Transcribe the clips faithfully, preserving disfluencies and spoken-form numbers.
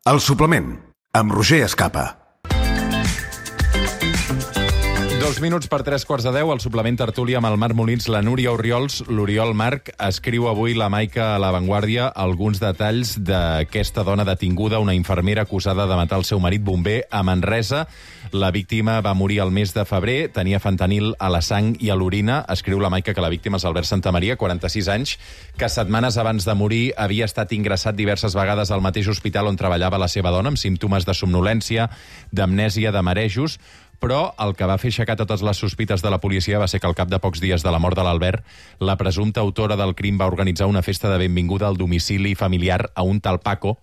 El suplement, amb Roger Escapa. Dos minuts per tres quarts de deu, al suplement tertúlia amb el Marc Molins, la Núria Orriols. L'Oriol Marc escriu avui la Maica a La Vanguardia alguns detalls d'aquesta dona detinguda, una infermera acusada de matar el seu marit bomber a Manresa. La víctima va morir el mes de febrer, tenia fentanil a la sang i a l'orina. Escriu la Maica que la víctima és Albert Santamaria, quaranta-sis anys, que setmanes abans de morir havia estat ingressat diverses vegades al mateix hospital on treballava la seva dona, amb símptomes de somnolència, d'amnèsia, de marejos. Però el que va fer aixecar totes les sospites de la policia va ser que al cap de pocs dies de la mort de l'Albert, la presumpta autora del crim va organitzar una festa de benvinguda al domicili familiar a un tal Paco,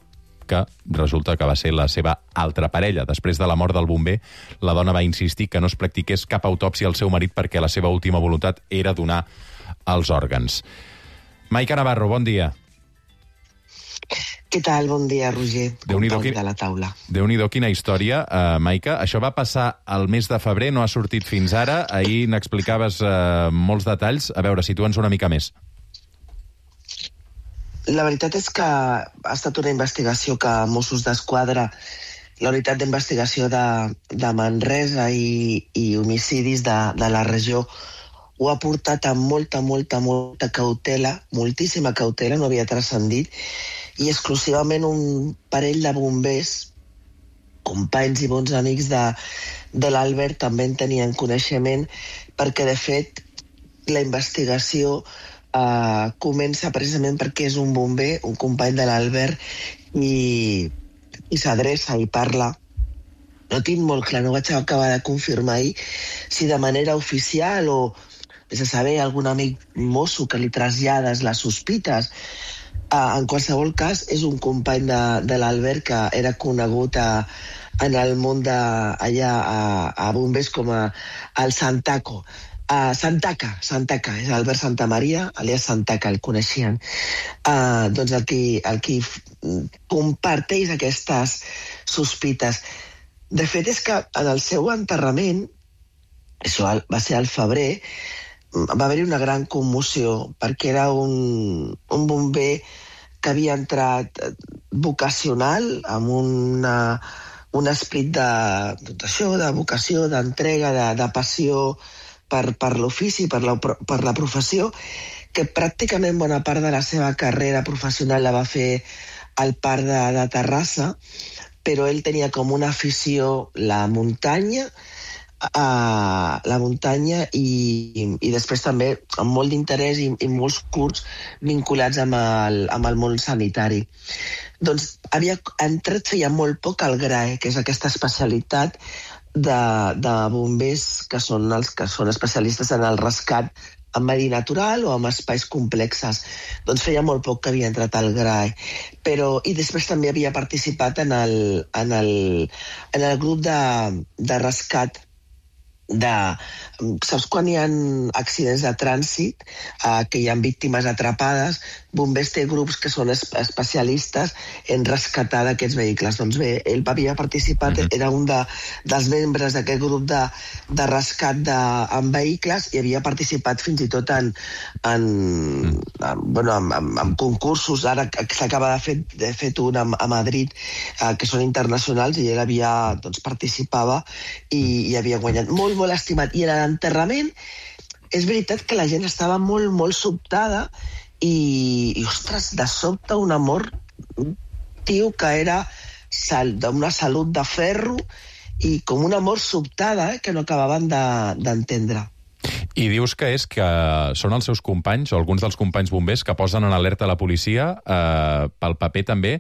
que resulta que va ser la seva altra parella. Després de la mort del bomber, la dona va insistir que no es practiqués cap autòpsia al seu marit perquè la seva última voluntat era donar els òrgans. Maica Navarro, bon dia. Què tal? Bon dia, Roger. Déu-n'hi-do, Company de la taula. Déu-n'hi-do, quina història, uh, Maica. Això va passar el mes de febrer, no ha sortit fins ara. Ahir n'explicaves uh, molts detalls. A veure, situa'ns una mica més. La veritat és que ha estat una investigació que Mossos d'Esquadra, la unitat d'investigació de, de Manresa i, i homicidis de, de la regió, ho ha portat amb molta, molta, molta cautela, moltíssima cautela, no havia transcendit, i exclusivament un parell de bombers, companys i bons amics de, de l'Albert, també en tenien coneixement, perquè, de fet, la investigació eh, comença precisament perquè és un bomber, un company de l'Albert, i, i s'adreça i parla. No tinc molt clar, no vaig acabar de confirmar ahir si de manera oficial o, és a saber, algun amic mosso que li trasllades les sospites. Uh, en qualsevol cas, és un company de, de l'Albert que era conegut a, en el món de, allà a, a bombers com a, el Santaco. Uh, Santaca, Santaca, és Albert Santamaria, alias Santaca, el coneixien. Uh, doncs el qui, el qui comparteix aquestes sospites. De fet, és que en el seu enterrament, això va ser al febrer, va haver-hi una gran commoció, perquè era un, un bomber que havia entrat vocacional, amb una, un esperit de, d'això, de vocació, d'entrega, de, de passió per, per l'ofici, per la, per la professió, que pràcticament bona part de la seva carrera professional la va fer al Parc de, de Terrassa, però ell tenia com una afició la muntanya, a la muntanya i, i després també amb molt d'interès i, i molts curts vinculats amb el, amb el món sanitari. Doncs havia entrat feia molt poc al G R A E, que és aquesta especialitat de, de bombers que són els que són especialistes en el rescat en medi natural o en espais complexes. Doncs feia molt poc que havia entrat al G R A E. Però, i després també havia participat en el, en el, en el grup de, de rescat de, saps quan hi ha accidents de trànsit, eh, que hi ha víctimes atrapades, bombers té grups que són es, especialistes en rescatar d'aquests vehicles. Doncs bé, ell havia participat, mm-hmm. era un de, dels membres d'aquest grup de, de rescat de, en vehicles i havia participat fins i tot en, en, mm. en, bueno, en, en, en concursos. Ara s'acaba de fer, de fet un a, a Madrid, eh, que són internacionals, i ell havia, doncs, participava i, i havia guanyat. Molt, molt estimat. I en l'enterrament és veritat que la gent estava molt, molt sobtada i, i ostres, de sobte un amor, un tio que era sal, d'una salut de ferro i com una mort sobtada, eh, que no acabaven de, d'entendre. I dius que és que són els seus companys, o alguns dels companys bombers, que posen en alerta la policia eh, pel paper també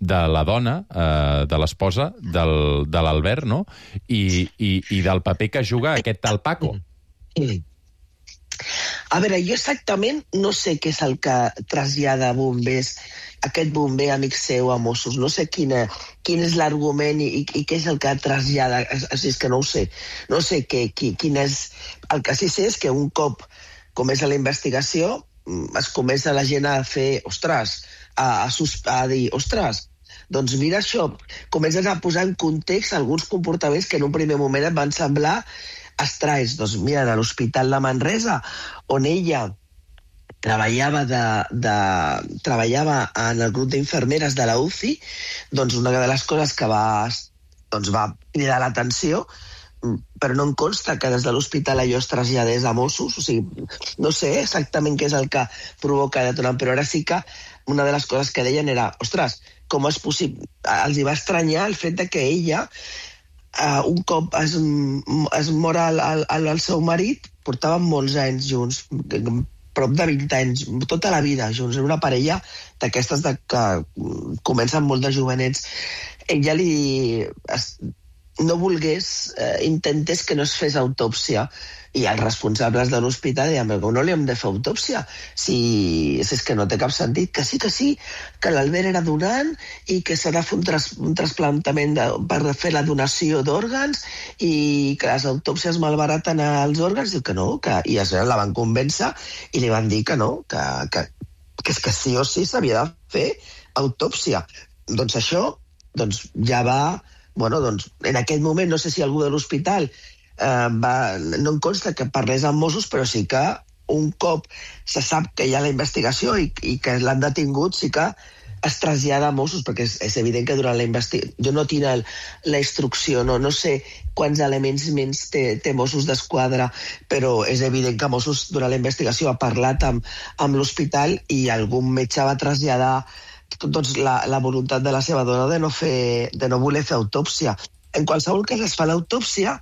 de la dona, eh, de l'esposa del, de l'Albert, no? I, i, i del paper que juga aquest tal Paco. Mm. A veure, jo exactament no sé què és el que trasllada bombers, aquest bomber amic seu a Mossos. No sé quina, quin és l'argument i, i, i què és el que trasllada. Així és que no ho sé. No sé què, qui, quin és... El que sí sé és que un cop comença la investigació es comença la gent a fer, ostres, a, a, a dir, ostres, doncs mira això, comences a posar en context alguns comportaments que en un primer moment et van semblar estranyes. Doncs mira, a l'Hospital de Manresa, on ella treballava, de, de, treballava en el grup d'infermeres de la U C I, doncs una de les coses que va, doncs va cridar l'atenció, però no em consta que des de l'hospital allò es traslladés a Mossos, o sigui, no sé exactament què és el que provoca detonant, però ara sí que una de les coses que deien era, ostres, com és possible? Els hi va estranyar el fet de que ella, uh, un cop es, es mor el, el, el seu marit, portaven molts anys junts, prop de vint anys, tota la vida junts, era una parella d'aquestes de que comencen molt de jovenets. Ella li... Es, no volgués, eh, intentés que no es fes autòpsia, i els responsables de l'hospital deien, però no li hem de fer autòpsia, si, si és que no té cap sentit, que sí, que sí, que l'Albert era donant i que s'ha de fer un, tras, un trasplantament de, per fer la donació d'òrgans i que les autòpsies malbaraten els òrgans, diu que no, que, i es la van convèncer i li van dir que no, que, que, que és que sí o sí s'havia de fer autòpsia. Doncs això doncs ja va... Bueno, doncs, en aquell moment, no sé si algú de l'hospital eh, va, no em consta que parlés amb Mossos, però sí que un cop se sap que hi ha la investigació i, i que l'han detingut, sí que es trasllada a Mossos, perquè és, és evident que durant la investigació... Jo no tinc el, la instrucció, no, no sé quants elements menys té, té Mossos d'Esquadra, però és evident que Mossos durant la investigació ha parlat amb, amb l'hospital i algun metge va traslladar doncs, la, la voluntat de la seva dona de no, fer, de no voler fer autòpsia. En qualsevol cas es fa l'autòpsia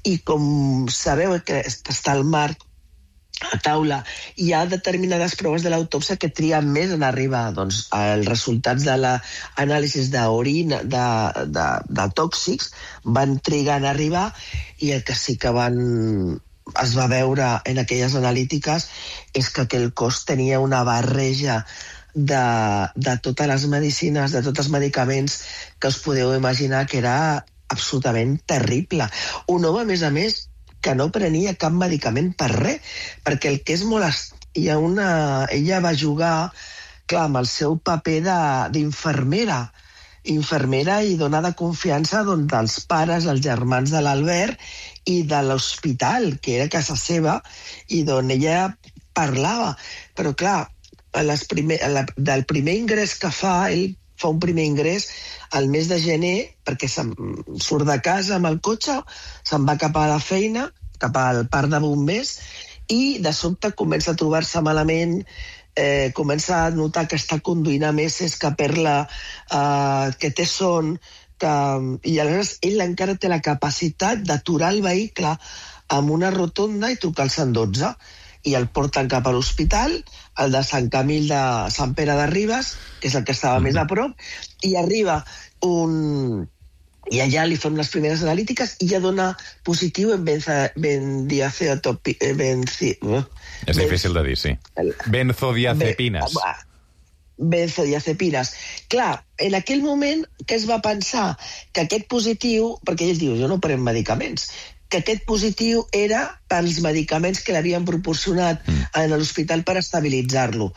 i com sabeu que està al marc a taula, hi ha determinades proves de l'autòpsia que trien més en arribar. Doncs els resultats de l'anàlisi d'orina, de, de, de tòxics, van trigar en arribar, i el que sí que van, es va veure en aquelles analítiques és que aquell cos tenia una barreja de, de totes les medicines, de tots els medicaments que us podeu imaginar, que era absolutament terrible. Un home, a més a més, que no prenia cap medicament per res, perquè el que és molt... Est... Hi ha una... Ella va jugar, clar, amb el seu paper d'infermera, infermera i donar de confiança doncs, dels pares, els germans de l'Albert i de l'hospital, que era casa seva, i d'on ella parlava. Però, clar, a les primer, a la, del primer ingrés que fa, ell fa un primer ingrés al mes de gener, perquè surt de casa amb el cotxe, se'n va cap a la feina, cap al parc de bombers, i de sobte comença a trobar-se malament, eh, comença a notar que està conduint a meses, que perd la... Eh, que té son, que... i aleshores ell encara té la capacitat d'aturar el vehicle amb una rotonda i trucar al cent dotze, i el porten cap a l'hospital, el de Sant Camil de Sant Pere de Ribes, que és el que estava mm-hmm. més a prop, i arriba un... i allà li fan les primeres analítiques i ja dona positiu en benzodiazepines. Benzi... És difícil de dir, sí. Benzodiazepines. Benzodiazepines. Clar, en aquell moment, què es va pensar? Que aquest positiu, perquè ell diu, jo no prenc medicaments, que aquest positiu era pels medicaments que l'havien proporcionat mm. a l'hospital per estabilitzar-lo.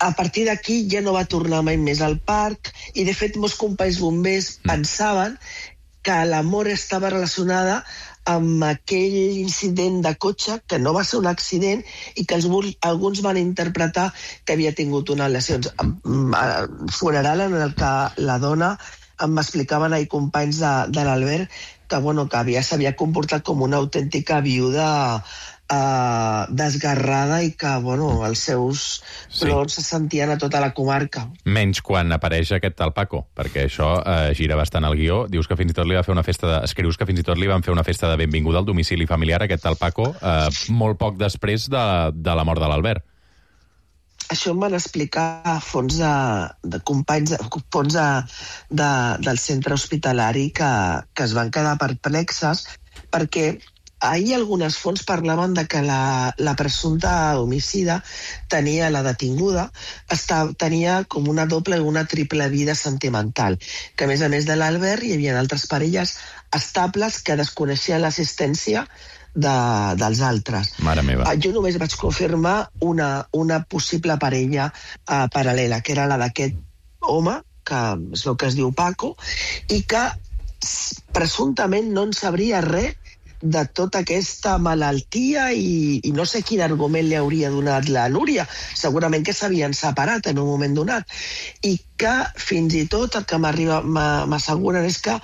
A partir d'aquí ja no va tornar mai més al parc, i de fet molts companys bombers mm. pensaven que la mort estava relacionada amb aquell incident de cotxe, que no va ser un accident, i que els, alguns van interpretar que havia tingut unes lesions. Funeral en el que la dona em explicaven ahir companys de, de l'Albert que, bueno, que havia, s'havia comportat com una autèntica viuda eh, desgarrada i que, bueno, els seus plors sí. se sentien a tota la comarca. Menys quan apareix aquest tal Paco, perquè això eh, gira bastant al guió. Dius que fins i tot li va fer una festa de... Escrius que fins i tot li van fer una festa de benvinguda al domicili familiar, aquest tal Paco, eh, molt poc després de, de la mort de l'Albert. Això em van explicar fons de, de companys, fons de, de, del centre hospitalari que, que es van quedar perplexes, perquè ahir algunes fonts parlaven de que la, la presumpta homicida tenia, la detinguda, estava, tenia com una doble o una triple vida sentimental, que a més a més de l'Albert hi havia altres parelles estables que desconeixien l'assistència De, dels altres. Mare meva. Jo només vaig confirmar una, una possible parella uh, paral·lela, que era la d'aquest home, que es veu que es diu Paco, i que presumptament no en sabria res de tota aquesta malaltia i, i no sé quin argument li hauria donat la Núria. Segurament que s'havien separat en un moment donat. I que fins i tot el que m'arriba, m'asseguren és que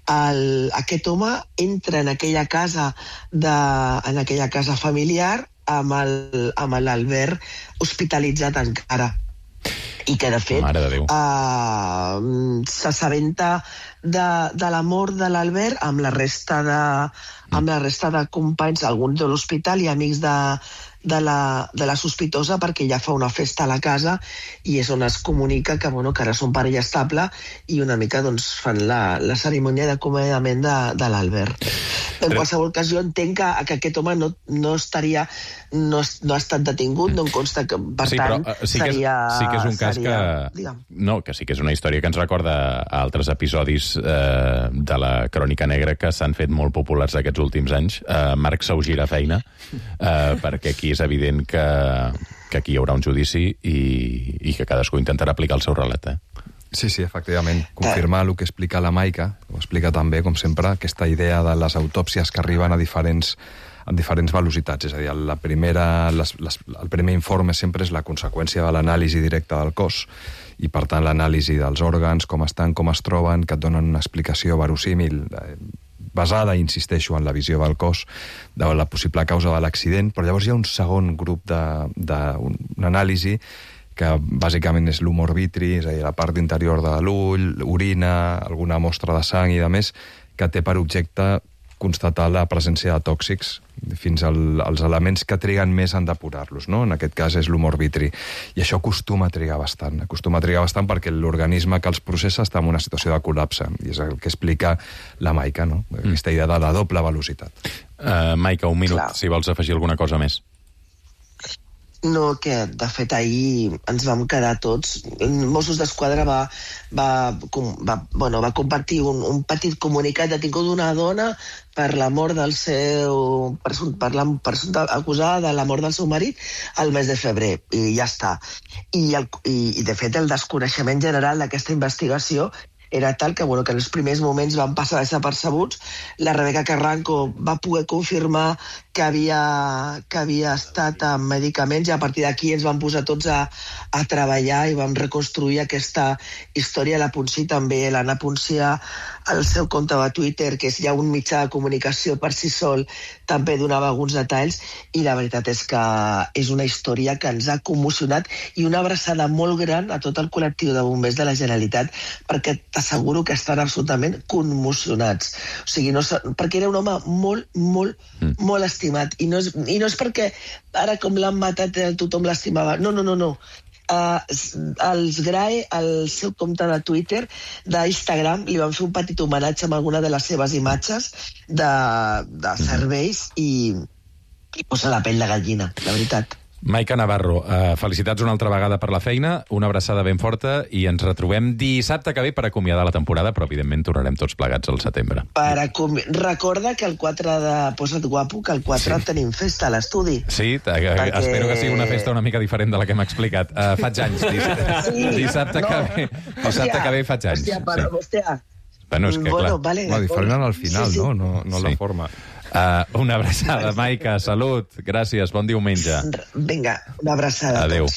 el, aquest home entra en aquella casa, de, en aquella casa familiar amb el, amb l'Albert hospitalitzat encara. I que, de fet, uh, s'assabenta de, de la mort de l'Albert amb la resta de, amb la resta de companys, alguns de l'hospital i amics de, de, la, de la sospitosa, perquè ja fa una festa a la casa i és on es comunica que, bueno, que ara són parella estable i una mica doncs, fan la, la cerimònia d'acomiadament de, de l'Albert. En Però... qualsevol cas, jo entenc que, que aquest home no, no estaria... No, no ha estat detingut, no em consta que, per sí, tant, però, uh, sí seria... Que és, sí que és un cas seria, que... No, que sí que és una història que ens recorda a altres episodis eh, de la Crònica Negra que s'han fet molt populars aquests últims anys. Eh, Marc s'augira feina, eh, perquè aquí és evident que, que aquí hi haurà un judici i, i que cadascú intentarà aplicar el seu relat, eh? Sí, sí, efectivament. Confirmar el que explica la Maica, ho explica també, com sempre, aquesta idea de les autòpsies que arriben a diferents en diferents velocitats, és a dir, la primera, les, les, el primer informe sempre és la conseqüència de l'anàlisi directa del cos i, per tant, l'anàlisi dels òrgans, com estan, com es troben, que et donen una explicació verosímil, eh, basada, insisteixo, en la visió del cos, de la possible causa de l'accident, però llavors hi ha un segon grup d'una anàlisi que bàsicament és l'humor vitri, és a dir, la part interior de l'ull, orina, alguna mostra de sang i de més, que té per objecte constatar la presència de tòxics fins al, als elements que triguen més en depurar-los, no? En aquest cas és l'humor vitri. I això acostuma a trigar bastant. Acostuma a trigar bastant perquè l'organisme que els processa està en una situació de col·lapse. I és el que explica la Maica, no? Mm. Aquesta idea de la doble velocitat. Uh, Maica, un minut, Clar. si vols afegir alguna cosa més. No, que de fet ahir ens vam quedar tots. Mossos d'Esquadra va, va, va, bueno, va compartir un, un petit comunicat detingut d'una dona per la mort del seu... per la persona acusada de la mort del seu marit al mes de febrer, i ja està. I, el, i, i de fet, el desconeixement general d'aquesta investigació era tal que, bueno, que en els primers moments van passar desapercebuts. La Rebeca Carranco va poder confirmar que havia, que havia estat amb medicaments i a partir d'aquí ens vam posar tots a, a treballar i vam reconstruir aquesta història. La Ponsí també, l'Anna Ponsí, al seu compte de Twitter, que és ja un mitjà de comunicació per si sol, també donava alguns detalls i la veritat és que és una història que ens ha commocionat i una abraçada molt gran a tot el col·lectiu de bombers de la Generalitat, perquè t'asseguro que estan absolutament commocionats. O sigui, no, perquè era un home molt, molt, mm. molt estimat. I no, és, I no és perquè ara com l'han matat tothom l'estimava. No, no, no, no. Uh, els Grae, al seu compte de Twitter, d'Instagram, li van fer un petit homenatge amb alguna de les seves imatges de, de serveis i, i posa la pell de gallina, la veritat. Maica Navarro, uh, felicitats una altra vegada per la feina, una abraçada ben forta i ens retrobem dissabte que ve per acomiadar la temporada, però evidentment tornarem tots plegats al setembre. Per acomi... Recorda que el quatre de Posa't Guapo, que el quatre sí. tenim festa a l'estudi. Sí, perquè... espero que sigui una festa una mica diferent de la que hem explicat. Uh, faig anys, diss... sí, dissabte, no. que ve, dissabte hòstia, que ve faig anys. Hòstia, però, sí. hòstia. Bueno, és que, bueno, clar... Vale, no, diferent al final, sí, sí. no? No, no sí. la forma. Uh, una abraçada, Maica, salut, gràcies, bon diumenge. Vinga, una abraçada Adéu. a tots.